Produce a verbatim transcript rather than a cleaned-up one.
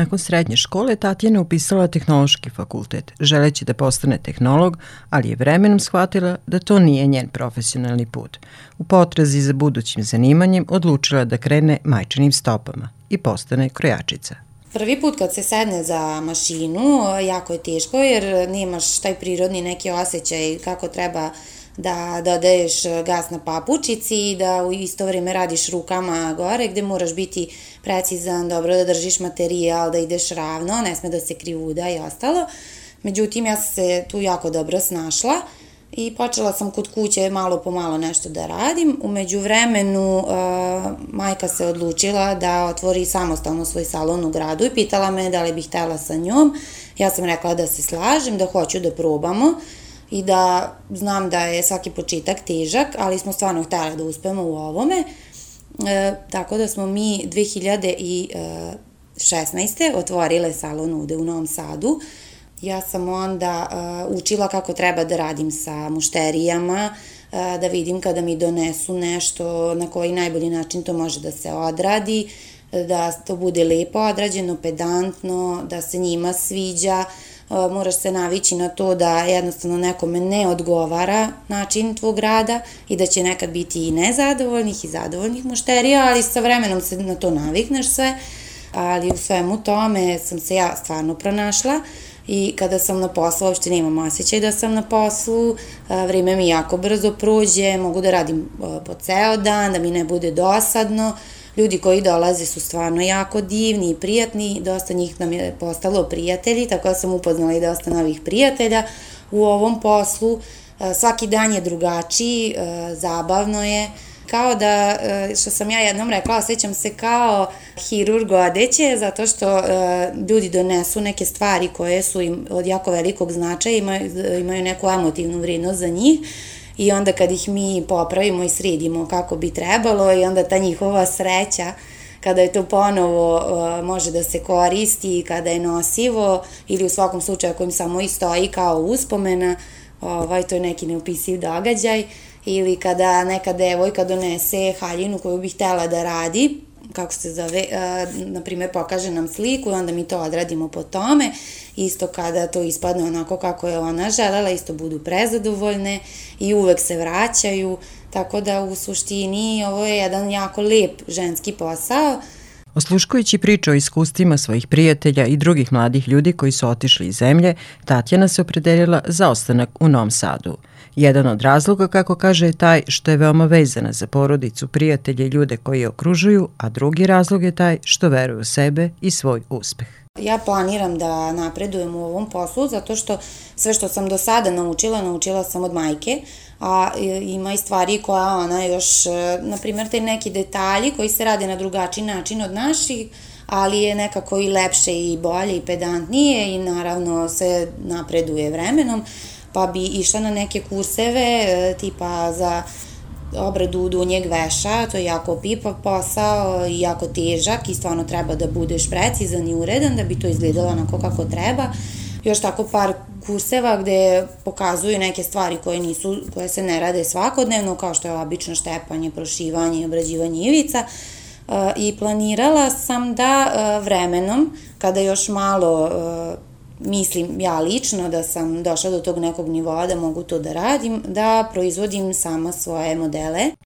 Nakon srednje škole Tatjana je upisala tehnološki fakultet, želeći da postane tehnolog, ali je vremenom shvatila da to nije njen profesionalni put. U potrazi za budućim zanimanjem odlučila da krene majčinim stopama i postane krojačica. Prvi put kad se sedne za mašinu, jako je teško jer nemaš taj prirodni neki osjećaj kako treba da dodaješ gas na papučici i da u isto vrijeme radiš rukama gore gde moraš biti precizan, dobro da držiš materijal, da ideš ravno, ne sme da se krivuda i ostalo. Međutim, ja sam se tu jako dobro snašla i počela sam kod kuće malo po malo nešto da radim. U međuvremenu uh, majka se odlučila da otvori samostalno svoj salon u gradu i pitala me da li bih htela sa njom. Ja sam rekla da se slažem, da hoću da probamo i da znam da je svaki početak težak, ali smo stvarno htjeli da uspemo u ovome. E, tako da smo mi dve hiljade šesnaeste. otvorile salon ovde u Novom Sadu. Ja sam onda uh, učila kako treba da radim sa mušterijama, uh, da vidim kada mi donesu nešto, na koji najbolji način to može da se odradi, da to bude lepo odrađeno, pedantno, da se njima sviđa. Uh, moraš se navići na to da jednostavno nekome ne odgovara način tvog rada i da će nekad biti i nezadovoljnih i zadovoljnih mušterija, ali sa vremenom se na to navikneš sve, ali u svemu tome sam se ja stvarno pronašla. I kada sam na poslu, uopšte nemam osjećaj da sam na poslu, vrijeme mi jako brzo prođe, mogu da radim po ceo dan, da mi ne bude dosadno. Ljudi koji dolaze su stvarno jako divni i prijatni, dosta njih nam je postalo prijatelji, tako da sam upoznala i dosta novih prijatelja u ovom poslu. Svaki dan je drugačiji, zabavno je. Kao da, što sam ja jednom rekla, osjećam se kao hirurg odeće, zato što uh, ljudi donesu neke stvari koje su im od jako velikog značaja, imaju, imaju neku emotivnu vrijednost za njih i onda kad ih mi popravimo i sredimo kako bi trebalo i onda ta njihova sreća kada je to ponovo uh, može da se koristi, kada je nosivo ili u svakom slučaju ako im samo i stoji kao uspomena, ovaj, to je neki neopisiv događaj. Ili kada neka devojka donese haljinu koju bi htjela da radi, kako se zove, na primjer pokaže nam sliku i onda mi to odradimo po tome, isto kada to ispadne onako kako je ona želela, isto budu prezadovoljne i uvek se vraćaju, tako da u suštini ovo je jedan jako lep ženski posao. Osluškujući priču o iskustvima svojih prijatelja i drugih mladih ljudi koji su otišli iz zemlje, Tatjana se opredelila za ostanak u Novom Sadu. Jedan od razloga, kako kaže, je taj što je veoma vezana za porodicu, prijatelje i ljude koji je okružuju, a drugi razlog je taj što veruje u sebe i svoj uspeh. Ja planiram da napredujem u ovom poslu zato što sve što sam do sada naučila, naučila sam od majke, a ima i stvari koja ona još, na primjer, te neki detalji koji se rade na drugačiji način od naših, ali je nekako i lepše i bolje i pedantnije i naravno se napreduje vremenom, pa bi išla na neke kurseve tipa za obradu dunjeg veša, to je jako opipav posao i jako težak i stvarno treba da budeš precizan i uredan da bi to izgledalo onako kako treba. Još tako par kurseva gde pokazuju neke stvari koje, nisu, koje se ne rade svakodnevno, kao što je obično štepanje, prošivanje i obrađivanje ivica. I planirala sam da vremenom, kada još malo mislim ja lično da sam došla do tog nekog nivoa da mogu to da radim, da proizvodim sama svoje modele.